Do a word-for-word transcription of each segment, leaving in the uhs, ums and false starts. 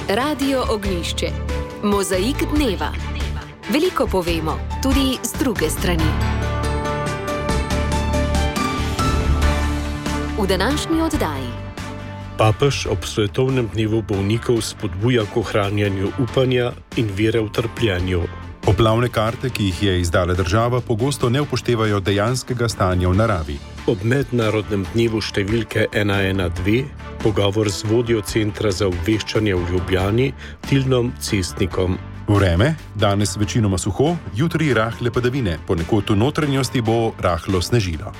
Radio Ognjišče. Mozaik dneva. Veliko povemo, tudi z druge strani. V današnji oddaji. Papež ob svetovnem dnevu bolnikov spodbuja k ohranjanju upanja in vere v trpljenju. Poplavne karte, ki jih je izdala država, pogosto ne upoštevajo dejanskega stanja v naravi. Ob mednarodnem dnevu številke ena ena dve pogovor z vodjo Centra za obveščanje v Ljubljani, Tilnom Cestnikom. Vreme, danes večinoma suho, jutri rahle padavine, ponekod v notranjosti bo rahlo snežilo.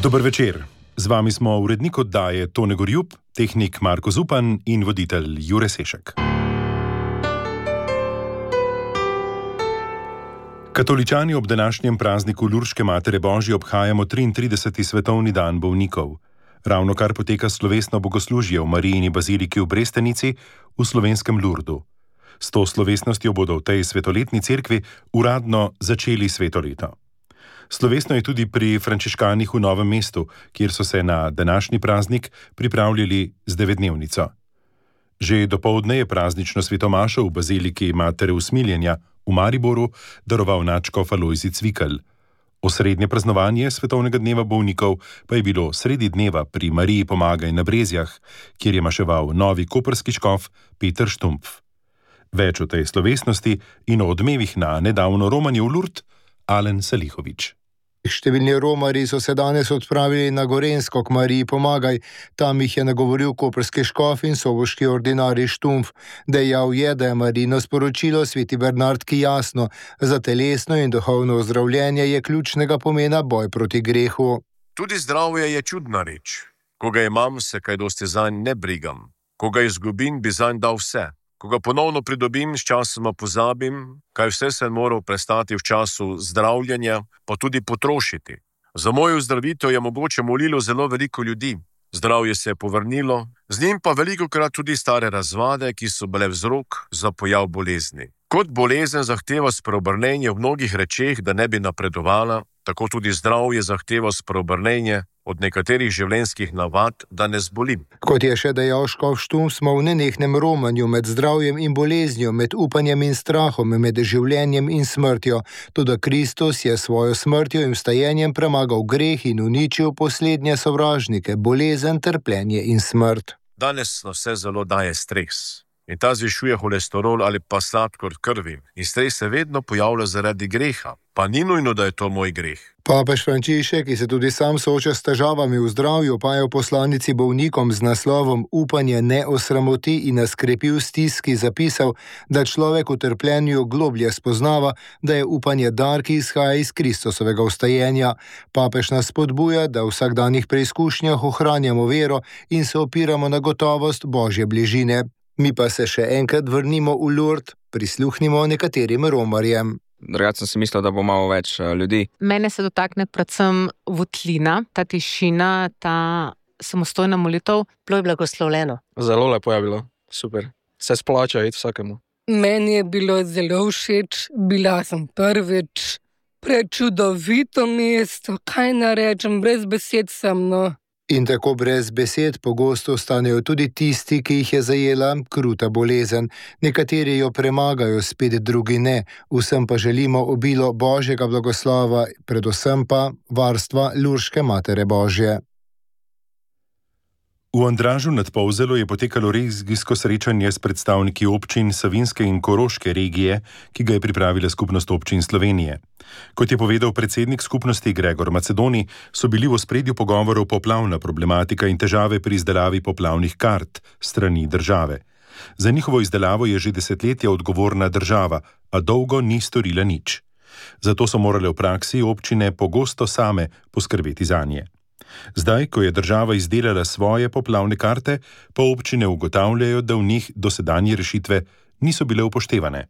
Dober večer. Z vami smo urednik oddaje Tone Gorjup, tehnik Marko Zupan in voditelj Jure Sešek. Katoličani ob današnjem prazniku Lurške Matere Božje obhajamo triintrideseti svetovni dan bolnikov. Ravnokar poteka slovesno bogoslužje v Marijini baziliki v Brestenici v slovenskem Lurdu. S to slovesnostjo bodo v tej svetoletni cerkvi uradno začeli sveto leto. Slovesno je tudi pri frančiškanih v Novem mestu, kjer so se na današnji praznik pripravljali z devetdnevnico. Že dopoldne je praznično svetomašo v baziliki Matere Usmiljenja v Mariboru daroval nadškof Alojzij Cvikl. Osrednje praznovanje svetovnega dneva bolnikov pa je bilo sredi dneva pri Mariji Pomagaj na Brezjah, kjer je maševal novi koprski škof Peter Štumpf. Več o tej slovesnosti in o odmevih na nedavno romanje v Lurd, Alen Salihovič. Številni romarji so se danes odpravili na Gorenjsko k Mariji Pomagaj. Tam jih je nagovoril koprski škof in soboški ordinarij Štumpf. Dejal je, da je Marijino sporočilo sveti Bernardki jasno. Za telesno in duhovno ozdravljenje je ključnega pomena boj proti grehu. Tudi zdravje je čudna reč. Ko ga imam, se kaj dosti zanj ne brigam. Ko ga izgubim, bi zanj dal vse. Ko ga ponovno pridobim, s časoma pozabim, kaj vse sem moral prestati v času zdravljenja, pa tudi potrošiti. Za mojo zdravitev je mogoče molilo zelo veliko ljudi. Zdravje se je povrnilo, z njim pa velikokrat tudi stare razvade, ki so bile vzrok za pojav bolezni. Kot bolezen zahteva spreobrnenje v mnogih rečeh, da ne bi napredovala, tako tudi zdravje zahteva spreobrnenje od nekaterih življenjskih navad, da ne zbolim. Kot je še dejal škof Štumpf, smo v nenehnem romanju med zdravjem in boleznijo, med upanjem in strahom, med življenjem in smrtjo. Toda Kristus je svojo smrtjo in vstajenjem premagal greh in uničil poslednje sovražnike, bolezen, trpljenje in smrt. Danes na vse zelo daje stres. In ta zvišuje holesterol ali pa sladkor krvi. In stres se vedno pojavlja zaradi greha. Pa ni nujno, da je to moj greh. Papež Frančišek, ki se tudi sam sooča s težavami v zdravju, pa je v poslanici bolnikom z naslovom Upanje ne osramoti in nas krepi v stiski zapisal, da človek v trpljenju globlje spoznava, da je upanje dar, ki izhaja iz Kristusovega vstajenja. Papež nas spodbuja, da v vsakdanjih preizkušnjah ohranjamo vero in se opiramo na gotovost Božje bližine. Mi pa se še enkrat vrnimo v Lurd, prisluhnimo nekaterim romarjem. Drugače sem si mislil, da bo malo več ljudi. Mene se dotakne predvsem votlina, ta tišina, ta samostojna molitev. Bilo je blagoslovljeno. Zelo lepo je bilo, super. Se splača iti vsakemu. Meni je bilo zelo všeč, bila sem prvič, prečudovito mesto, kaj narečem, brez besed sem, no. In tako brez besed pogosto ostanejo tudi tisti, ki jih je zajela kruta bolezen. Nekateri jo premagajo, spet drugi ne. Vsem pa želimo obilo Božjega blagoslova, predvsem pa varstva Lurške Matere Božje. V Andražu nad Polzelo je potekalo regijsko srečanje s predstavniki občin Savinjske in Koroške regije, ki ga je pripravila Skupnost občin Slovenije. Kot je povedal predsednik skupnosti Gregor Macedoni, so bili v ospredju pogovorov poplavna problematika in težave pri izdelavi poplavnih kart strani države. Za njihovo izdelavo je že desetletja odgovorna država, a dolgo ni storila nič. Zato so morale v praksi občine pogosto same poskrbeti zanje. Zdaj, ko je država izdelala svoje poplavne karte, pa občine ugotavljajo, da v njih dosedanje rešitve niso bile upoštevane.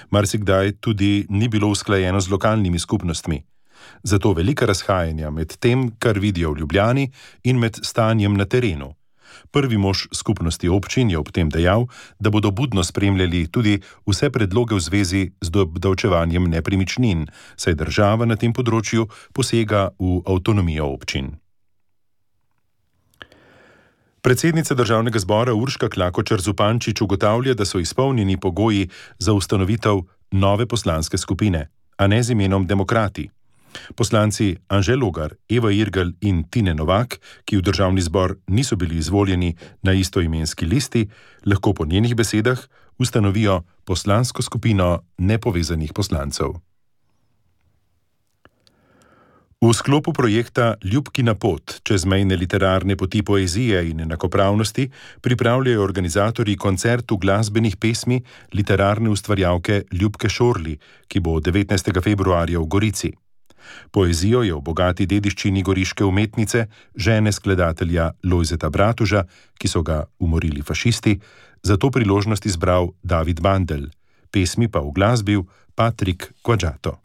Marsikdaj tudi ni bilo usklajeno z lokalnimi skupnostmi. Zato velika razhajanja med tem, kar vidijo v Ljubljani, in med stanjem na terenu. Prvi mož skupnosti občin je ob tem dejal, da bodo budno spremljali tudi vse predloge v zvezi z obdavčevanjem nepremičnin, saj država na tem področju posega v avtonomijo občin. Predsednica državnega zbora Urška Klakočar Zupančič ugotavlja, da so izpolnjeni pogoji za ustanovitev nove poslanske skupine, a ne z imenom Demokrati. Poslanci Anže Logar, Eva Irgl in Tine Novak, ki v državni zbor niso bili izvoljeni na istoimenski listi, lahko po njenih besedah ustanovijo poslansko skupino nepovezanih poslancev. V sklopu projekta Ljubkina pot, čezmejne literarne poti poezije in enakopravnosti, pripravljajo organizatorji koncertu glasbenih pesmi literarne ustvarjalke Ljubke Šorli, ki bo devetnajstega februarja v Gorici. Poezijo je v bogati dediščini goriške umetnice, žene skladatelja Lojzeta Bratuža, ki so ga umorili fašisti, za to priložnost izbral David Bandelj, pesmi pa uglasbil Patrik Quadžato.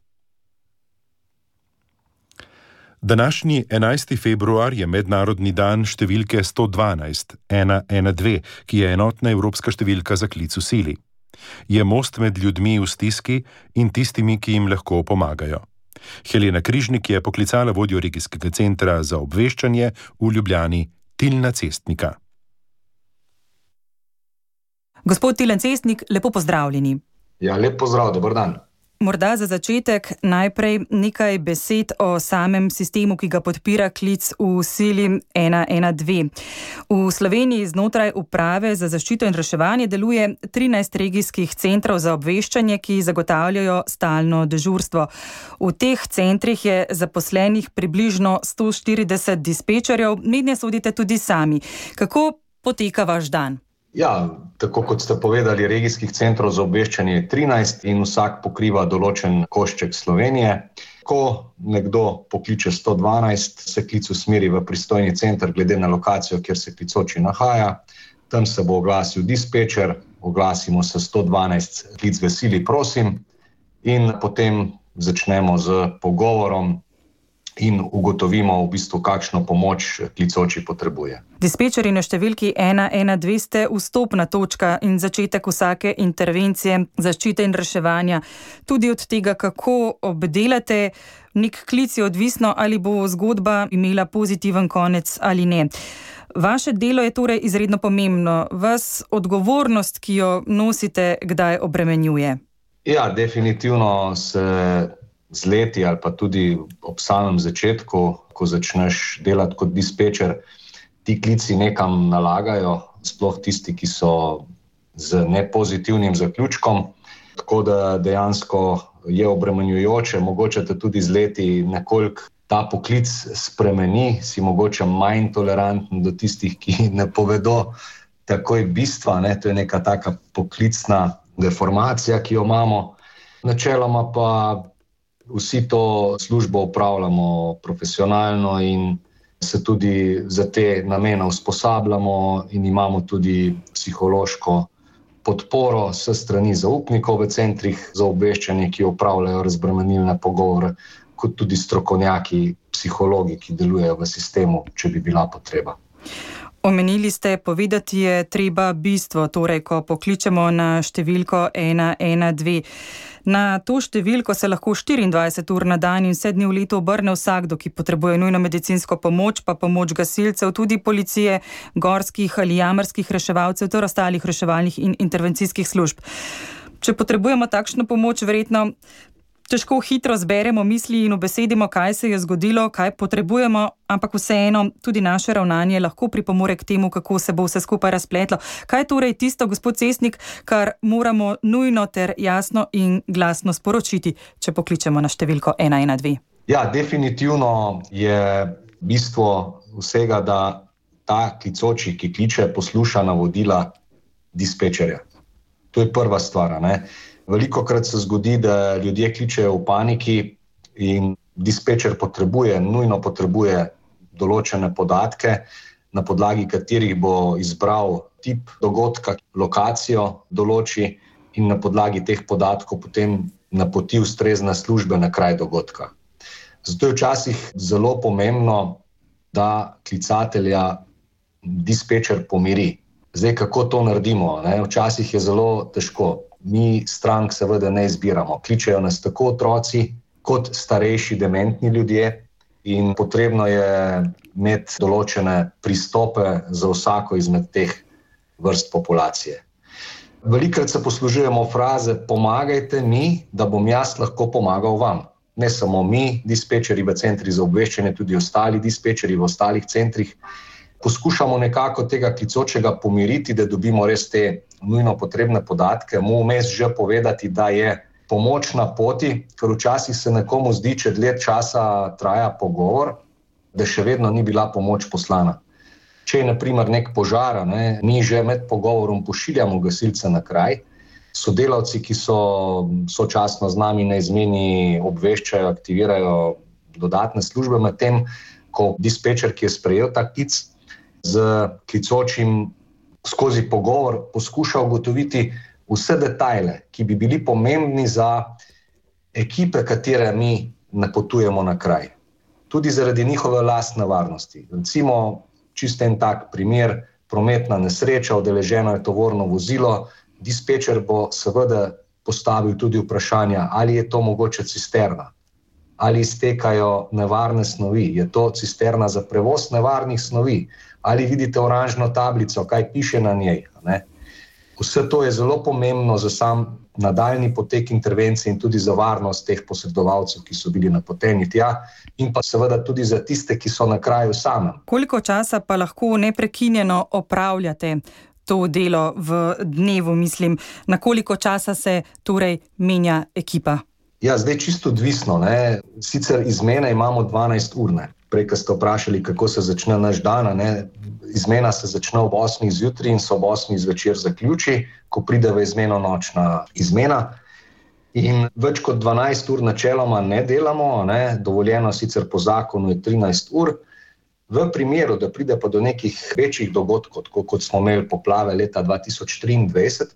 Današnji enajsti februar je mednarodni dan številke sto dvanajst ena ena dve, ki je enotna evropska številka za klic v sili. Je most med ljudmi v stiski in tistimi, ki jim lahko pomagajo. Helena Križnik je poklicala vodjo regijskega centra za obveščanje v Ljubljani, Tilna Cestnika. Gospod Tilen Cestnik, lepo pozdravljeni. Ja, lep pozdrav, dober dan. Morda za začetek najprej nekaj besed o samem sistemu, ki ga podpira klic v sili ena ena dve. V Sloveniji znotraj uprave za zaščito in reševanje deluje trinajst regijskih centrov za obveščanje, ki zagotavljajo stalno dežurstvo. V teh centrih je zaposlenih približno sto štirideset dispečerjev, mednje sodite tudi sami. Kako poteka vaš dan? Ja, tako kot ste povedali, regijskih centrov za obveščanje je trinajst in vsak pokriva določen košček Slovenije. Ko nekdo pokliče sto dvanajst, se klic usmeri v pristojni center glede na lokacijo, kjer se klicoči nahaja. Tam se bo oglasil dispečer, oglasimo se sto dvanajst, klic v sili, prosim, in potem začnemo z pogovorom in ugotovimo v bistvu, kakšno pomoč klicoči potrebuje. Dispečerji na številki ena ena dve ste vstopna točka in začetek vsake intervencije, zaščite in reševanja. Tudi od tega, kako obdelate nek klic, je odvisno, ali bo zgodba imela pozitiven konec ali ne. Vaše delo je torej izredno pomembno. Vas odgovornost, ki jo nosite, kdaj obremenjuje? Ja, definitivno se z leti ali pa tudi ob samem začetku, ko začneš delati kot dispečer, ti klici nekam nalagajo, sploh tisti, ki so z nepozitivnim zaključkom, tako da dejansko je obremenjujoče, mogoče te tudi z leti nekoliko ta poklic spremeni, si mogoče manj toleranten do tistih, ki ne povedo takoj bistva, ne? To je neka taka poklicna deformacija, ki jo imamo. Načeloma pa vsi to službo upravljamo profesionalno in se tudi za te namene usposabljamo in imamo tudi psihološko podporo s strani zaupnikov v centrih za obveščanje, ki upravljajo razbremenilne pogovore, kot tudi strokovnjaki, psihologi, ki delujejo v sistemu, če bi bila potreba. Omenili ste, povedati je treba bistvo, torej ko pokličemo na številko ena ena dve. Na to številko se lahko štiriindvajset ur na dan in vse dni v letu obrne vsakdo, ki potrebuje nujno medicinsko pomoč, pa pomoč gasilcev, tudi policije, gorskih ali jamarskih reševalcev ter ostalih reševalnih in intervencijskih služb. Če potrebujemo takšno pomoč, verjetno težko hitro zberemo misli in ubesedimo, kaj se je zgodilo, kaj potrebujemo, ampak vseeno tudi naše ravnanje lahko pripomore k temu, kako se bo vse skupaj razpletlo. Kaj torej tisto, gospod Cestnik, kar moramo nujno ter jasno in glasno sporočiti, če pokličemo na številko ena ena dve? Ja, definitivno je bistvo vsega, da ta klicoči, ki kliče, posluša navodila dispečerja. To je prva stvar, ne? Velikokrat se zgodi, da ljudje kličejo v paniki in dispečer potrebuje, nujno potrebuje določene podatke, na podlagi katerih bo izbral tip dogodka, lokacijo določi in na podlagi teh podatkov potem napoti ustrezne službe na kraj dogodka. Zato je včasih zelo pomembno, da klicatelja dispečer pomiri. Zdaj, kako to naredimo? Ne? Včasih je zelo težko. Mi strank seveda ne izbiramo. Kličejo nas tako otroci, kot starejši dementni ljudje in potrebno je imeti določene pristope za vsako izmed teh vrst populacije. Velikokrat se poslužujemo fraze pomagajte mi, da bom jaz lahko pomagal vam. Ne samo mi, dispečeri v centrih za obveščanje, tudi ostali dispečeri v ostalih centrih. Poskušamo nekako tega klicočega pomiriti, da dobimo res te nujno potrebne podatke, mu vmes že povedati, da je pomoč na poti, ker včasih se nekomu zdi, če dlje časa traja pogovor, da še vedno ni bila pomoč poslana. Če je na primer nek požar, ne, mi že med pogovorom pošiljamo gasilce na kraj, sodelavci, ki so sočasno z nami na izmeni, obveščajo, aktivirajo dodatne službe, medtem ko dispečer, ki je sprejel ta klic, z klicočim skozi pogovor poskuša ugotoviti vse detajle, ki bi bili pomembni za ekipe, katere mi napotujemo na kraj. Tudi zaradi njihove lastne varnosti. Recimo, čisto en tak primer, prometna nesreča, udeleženo je tovorno vozilo, dispečer bo seveda postavil tudi vprašanja, ali je to mogoče cisterna, ali iztekajo nevarne snovi, je to cisterna za prevoz nevarnih snovi, ali vidite oranžno tablico, kaj piše na njej, ne? Vse to je zelo pomembno za sam nadaljnji potek intervencije in tudi za varnost teh posredovalcev, ki so bili napoteni tja, in pa seveda tudi za tiste, ki so na kraju samem. Koliko časa pa lahko neprekinjeno opravljate to delo v dnevu, mislim, na koliko časa se torej menja ekipa? Ja, zdaj čisto odvisno, ne. Sicer izmene imamo dvanajst ur, ne. Prej, ko ste vprašali, kako se začne naš dan, ne. Izmena se začne ob osmih zjutraj in se ob osmih zvečer zaključi, ko pride v izmeno nočna izmena. In več kot dvanajst ur načeloma ne delamo, ne. Dovoljeno sicer po zakonu je trinajst ur. V primeru, da pride pa do nekih večjih dogodkov, tako kot smo imeli poplave leta dva tisoč triindvajset,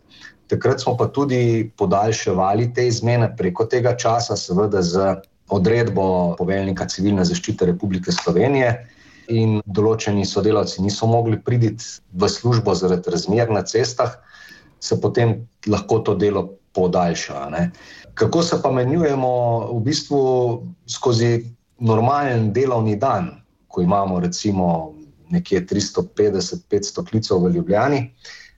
takrat smo pa tudi podaljševali te izmene preko tega časa, seveda z odredbo poveljnika Civilne zaščite Republike Slovenije, in določeni sodelavci niso mogli priti v službo zaradi razmer na cestah, se potem lahko to delo podaljša, ne. Kako se pa menjujemo v bistvu skozi normalen delovni dan, ko imamo recimo nekje tristo petdeset do petsto klicev v Ljubljani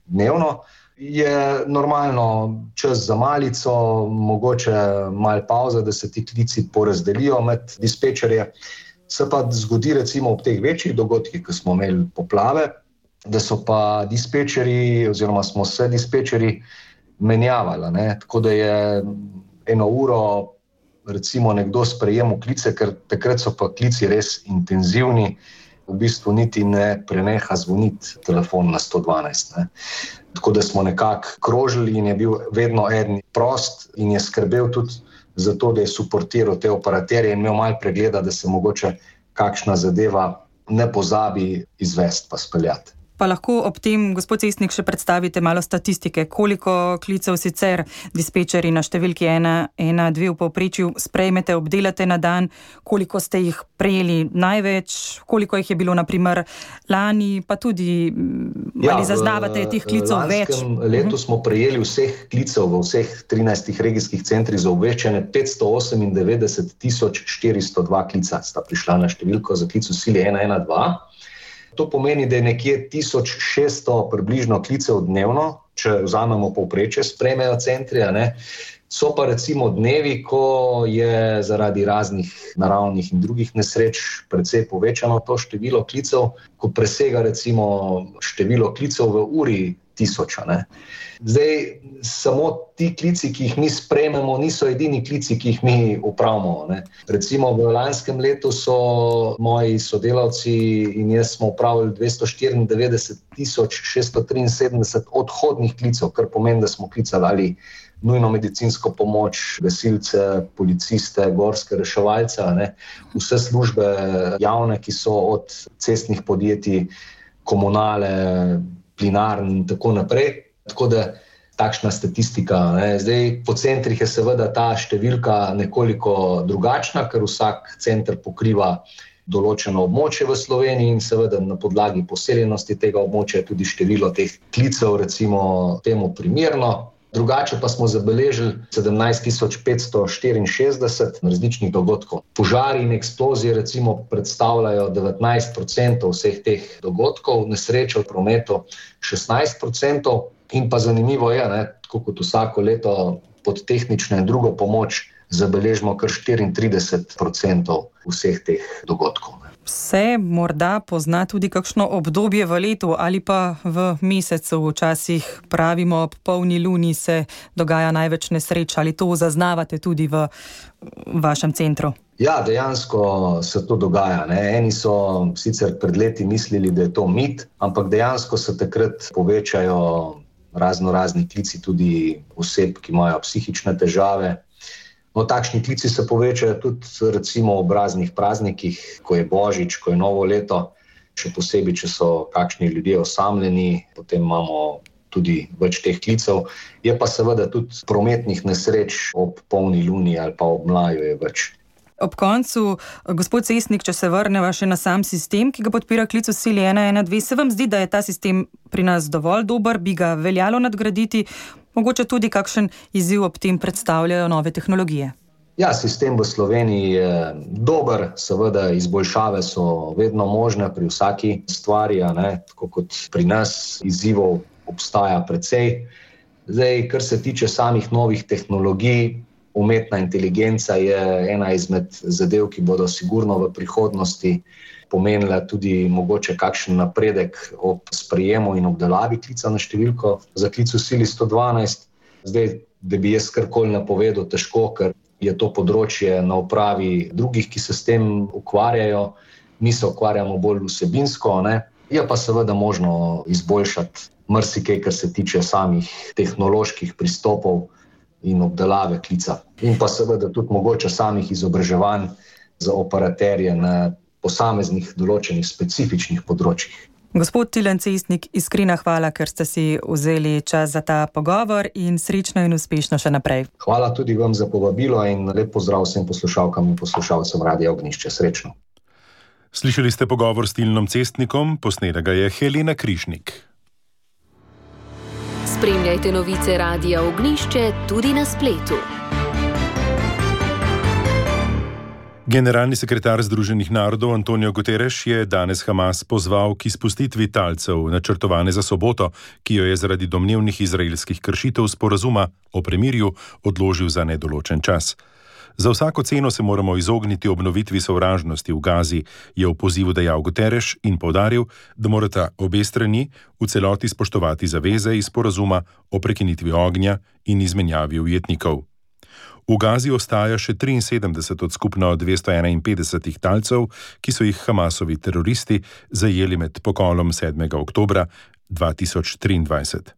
dnevno, je normalno čas za malico, mogoče malo pavza, da se ti klici porazdelijo med dispečerje. Se pa zgodi recimo ob teh večjih dogodkih, ko smo imeli poplave, da so pa dispečeri oziroma smo se dispečeri menjavali, ne? Tako da je eno uro recimo nekdo sprejemal klice, ker takrat so pa klici res intenzivni, v bistvu niti ne preneha zvoniti telefon na sto dvanajst, ne. Tako da smo nekako krožili in je bil vedno eden prost in je skrbel tudi za to, da je suportiral te operaterje in imel malo pregleda, da se mogoče kakšna zadeva ne pozabi izvesti pa speljati. Pa lahko ob tem, gospod Cestnik, še predstavite malo statistike, koliko klicev sicer dispečeri na številki ena ena dve v povprečju sprejmete, obdelate na dan, koliko ste jih prejeli največ, koliko jih je bilo na primer lani, pa tudi ja, ali zaznavate teh klicev več? V lanskem letu smo prejeli vseh klicev v vseh trinajstih regijskih centrih za obveščanje petsto osemindevetdeset tisoč štiristo dva klica sta prišla na številko za klic v sili ena ena dva. To pomeni, da je nekje tisoč šeststo približno klicev dnevno, če vzamemo povprečje, sprejmejo centri, ne. So pa recimo dnevi, ko je zaradi raznih naravnih in drugih nesreč precej povečano to število klicev, ko presega recimo število klicev v uri tisoča, ne. Zdaj, samo ti klici, ki jih mi sprejmemo, niso edini klici, ki jih mi upravimo, ne. Recimo v lanskem letu so moji sodelavci in jaz smo upravili dvesto štiriindevetdeset tisoč šeststo triinsedemdeset odhodnih klicev, kar pomeni, da smo klicali ali nujno medicinsko pomoč, gasilce, policiste, gorske reševalce, ne. Vse službe javne, ki so od cestnih podjetij, komunale, plinarn in tako naprej. Tako da takšna statistika, ne. Zdaj, po centrih je seveda ta številka nekoliko drugačna, ker vsak center pokriva določeno območje v Sloveniji in seveda na podlagi poseljenosti tega območja tudi število teh klicev recimo temu primerno. Drugače pa smo zabeležili sedemnajst tisoč petsto štiriinšestdeset različnih dogodkov. Požari in eksplozije recimo predstavljajo devetnajst procentov vseh teh dogodkov, nesreče v prometu šestnajst procentov in pa zanimivo je, ne, tako kot vsako leto pod tehnično in drugo pomoč zabeležimo kar štiriintrideset procentov vseh teh dogodkov. Se morda pozna tudi kakšno obdobje v letu ali pa v mesecu, včasih pravimo, ob polni luni se dogaja največ nesreč, ali to zaznavate tudi v vašem centru? Ja, dejansko se to dogaja. Ne. Eni so sicer pred leti mislili, da je to mit, ampak dejansko se takrat povečajo razno razni klici tudi oseb, ki imajo psihične težave. No, takšni klici se povečajo tudi recimo ob raznih praznikih, ko je Božič, ko je Novo leto, še posebej, če so kakšni ljudje osamljeni, potem imamo tudi več teh klicev. Je pa seveda tudi prometnih nesreč ob polni luni ali pa ob mlaju je več. Ob koncu, gospod Cestnik, če se vrneva še na sam sistem, ki ga podpira klic v sili ena ena dve, se vam zdi, da je ta sistem pri nas dovolj dober, bi ga veljalo nadgraditi? Mogoče tudi kakšen izziv ob tem predstavljajo nove tehnologije? Ja, sistem v Sloveniji je dober, seveda izboljšave so vedno možne pri vsaki stvari, ne? Tako kot pri nas izzivov obstaja precej. Zdaj, kar se tiče samih novih tehnologij, umetna inteligenca je ena izmed zadev, ki bodo sigurno v prihodnosti pomenila tudi mogoče kakšen napredek ob sprejemu in obdelavi klica na številko za klic v sili sto dvanajst. Zdaj, da bi jaz karkoli napovedal, težko, ker je to področje na upravi drugih, ki se s tem ukvarjajo. Mi se ukvarjamo bolj vsebinsko, ne? Je pa seveda možno izboljšati marsikaj, kar se tiče samih tehnoloških pristopov in obdelave klica. In pa seveda tudi mogoče samih izobraževanj za operaterje na posameznih določenih specifičnih področjih. Gospod Tilen Cestnik, iskrena hvala, ker ste si vzeli čas za ta pogovor in srečno in uspešno še naprej. Hvala tudi vam za povabilo in lep pozdrav vsem poslušalkam in poslušalcem Radia Ognjišče. Srečno. Slišali ste pogovor s Tilnom Cestnikom, posnela ga je Helena Križnik. Spremljajte novice Radia Ognjišče tudi na spletu. Generalni sekretar Združenih narodov Antonio Guterres je danes Hamas pozval k izpustitvi talcev, načrtovane za soboto, ki jo je zaradi domnevnih izraelskih kršitev sporazuma o premirju odložil za nedoločen čas. Za vsako ceno se moramo izogniti obnovitvi sovražnosti v Gazi, je v pozivu dejal Guterres in poudaril, da morata obe strani v celoti spoštovati zaveze iz sporazuma o prekinitvi ognja in izmenjavi ujetnikov. V Gazi ostaja še triinsedemdeset od skupno dvesto enainpetdesetih talcev, ki so jih Hamasovi teroristi zajeli med pokolom sedmega oktobra dva tisoč triindvajset.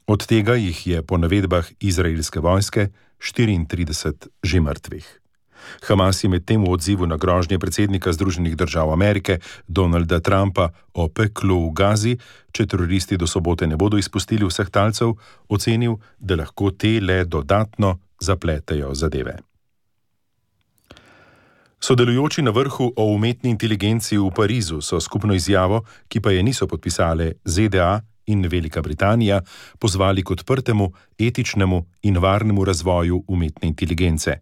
Od tega jih je po navedbah izraelske vojske štiriintrideset že mrtvih. Hamas je medtem v odzivu na grožnje predsednika Združenih držav Amerike Donalda Trumpa o peklu v Gazi, če teroristi do sobote ne bodo izpustili vseh talcev, ocenil, da lahko te le dodatno zapletejo zadeve. Sodelujoči na vrhu o umetni inteligenci v Parizu so skupno izjavo, ki pa je niso podpisale Z D A in Velika Britanija, pozvali k odprtemu, etičnemu in varnemu razvoju umetne inteligence.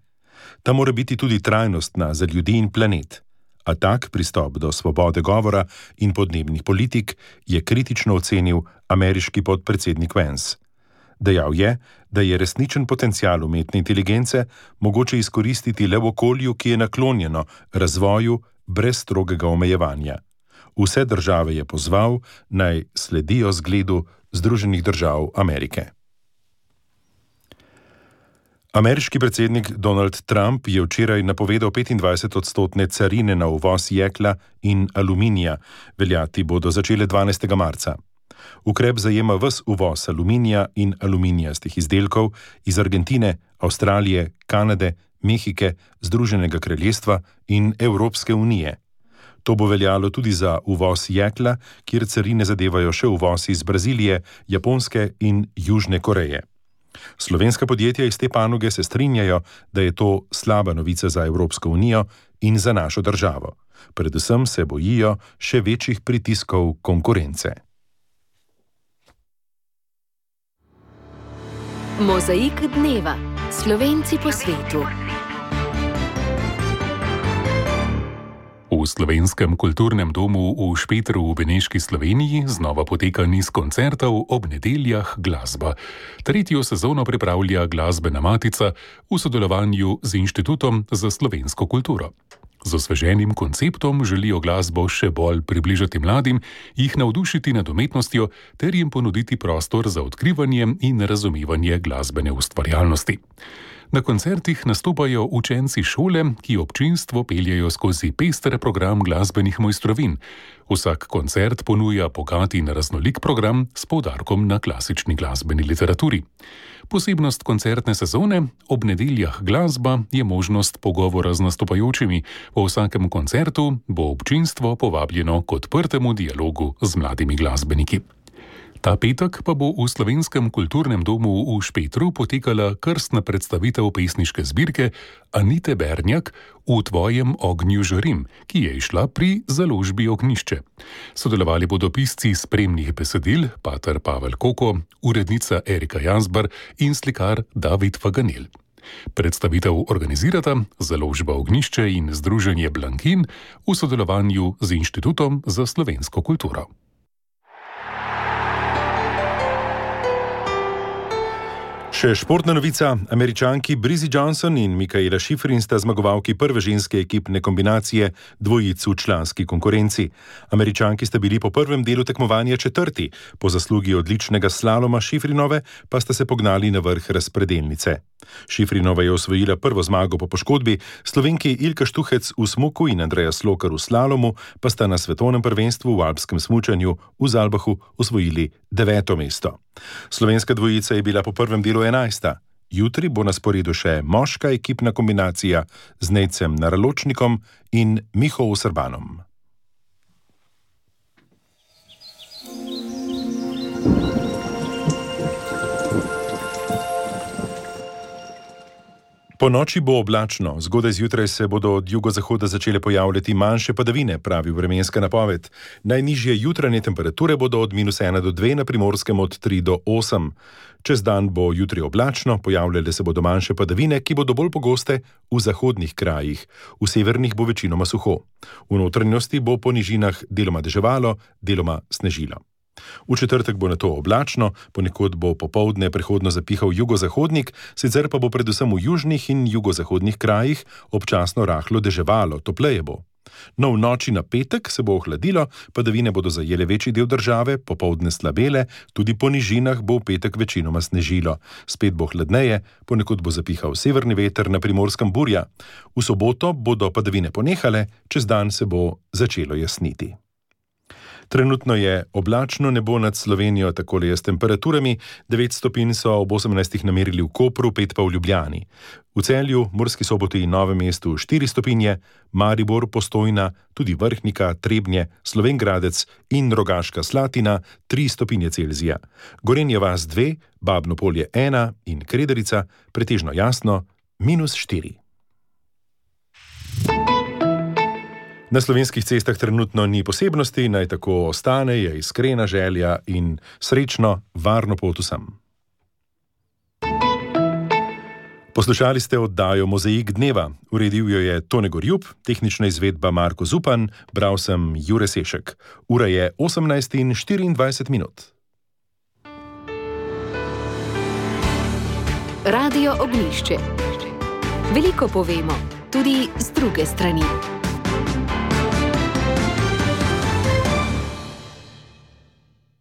Ta mora biti tudi trajnostna za ljudi in planet. A tak pristop do svobode govora in podnebnih politik je kritično ocenil ameriški podpredsednik Vance. Dejal je, da je resničen potencial umetne inteligence mogoče izkoristiti le v okolju, ki je naklonjeno razvoju brez strogega omejevanja. Vse države je pozval, naj sledijo zgledu Združenih držav Amerike. Ameriški predsednik Donald Trump je včeraj napovedal petindvajsetodstotne carine na uvoz jekla in aluminija, veljati bodo začele dvanajstega marca. Ukrep zajema ves uvoz aluminija in aluminijastih izdelkov iz Argentine, Avstralije, Kanade, Mehike, Združenega kraljestva in Evropske unije. To bo veljalo tudi za uvoz jekla, kjer carine zadevajo še uvoz iz Brazilije, Japonske in Južne Koreje. Slovenska podjetja iz te panoge se strinjajo, da je to slaba novica za Evropsko unijo in za našo državo. Predvsem se bojijo še večjih pritiskov konkurence. Mozaik dneva. Slovenci po svetu. V Slovenskem kulturnem domu v Špetru v Beneški Sloveniji znova poteka niz koncertov ob nedeljah glasba. Tretjo sezono pripravlja Glasbena matica v sodelovanju z Inštitutom za slovensko kulturo. Z osveženim konceptom želijo glasbo še bolj približati mladim, jih navdušiti nad umetnostjo ter jim ponuditi prostor za odkrivanje in razumevanje glasbene ustvarjalnosti. Na koncertih nastopajo učenci šole, ki občinstvo peljejo skozi pester program glasbenih mojstrovin. Vsak koncert ponuja bogat in raznolik program s poudarkom na klasični glasbeni literaturi. Posebnost koncertne sezone ob nedeljah glasba je možnost pogovora z nastopajočimi. Po vsakem koncertu bo občinstvo povabljeno k odprtemu dialogu z mladimi glasbeniki. Ta petek pa bo v Slovenskem kulturnem domu v Špetru potekala krstna predstavitev pesniške zbirke Anite Bernjak V tvojem ognju žarim, ki je išla pri založbi Ognjišče. Sodelovali bodo pisci spremnih besedil, pater Pavel Koko, urednica Erika Jazbar in slikar David Faganel. Predstavitev organizirata založba Ognjišče in združenje Blankin v sodelovanju z Inštitutom za slovensko kulturo. Še športna novica. Američanki Brizzy Johnson in Mikaela Shiffrin sta zmagovalki prve ženske ekipne kombinacije dvojic v članski konkurenci. Američanki sta bili po prvem delu tekmovanja četrti, po zaslugi odličnega slaloma Shiffrinove pa sta se pognali na vrh razpredelnice. Shiffrinova je osvojila prvo zmago po poškodbi, Slovenki Ilka Štuhec v smuku in Andreja Slokar v slalomu pa sta na svetovnem prvenstvu v alpskem smučanju v Zalbahu osvojili deveto mesto. Slovenska dvojica je bila po prvem delu enajsta. Jutri bo na sporedu še moška ekipna kombinacija z Nejcem Naraločnikom in Miho Srbanom. Po noči bo oblačno, zgodaj zjutraj se bodo od jugozahoda začele pojavljati manjše padavine, pravi vremenska napoved. Najnižje jutranje temperature bodo od minus ena do dve, na Primorskem od tri do osem. Čez dan bo jutri oblačno, pojavljale se bodo manjše padavine, ki bodo bolj pogoste v zahodnih krajih. V severnih bo večinoma suho. V notranjosti bo po nižinah deloma deževalo, deloma snežilo. V četrtek bo nato oblačno, ponekod bo popoldne prehodno zapihal jugozahodnik, sicer pa bo predvsem v južnih in jugozahodnih krajih občasno rahlo deževalo, topleje bo. No, v noči na petek se bo ohladilo, padavine bodo zajele večji del države, popoldne slabele, tudi po nižinah bo v petek večinoma snežilo. Spet bo hladneje, ponekod bo zapihal severni veter, na Primorskem burja. V soboto bodo padavine ponehale, čez dan se bo začelo jasniti. Trenutno je oblačno nebo nad Slovenijo, takole je s temperaturami. devet stopinj so ob osemnajstih namerili v Kopru, pet pa v Ljubljani. V Celju, Murski Soboti in Novem mestu štiri stopinje, Maribor, Postojna, tudi Vrhnika, Trebnje, Slovenj Gradec in Rogaška Slatina tri stopinje Celzija. Gorenja vas dve, Babno Polje ena in Krederica, pretežno jasno, minus štiri. Na slovenskih cestah trenutno ni posebnosti, naj tako ostane, je iskrena želja in srečno, varno pot vsem. Poslušali ste oddajo Mozaik dneva. Uredil jo je Tone Gorjub, tehnična izvedba Marko Zupan, bral sem Jure Sešek. Ura je osemnajst in štiriindvajset minut. Radio Ognjišče. Veliko povemo, tudi z druge strani.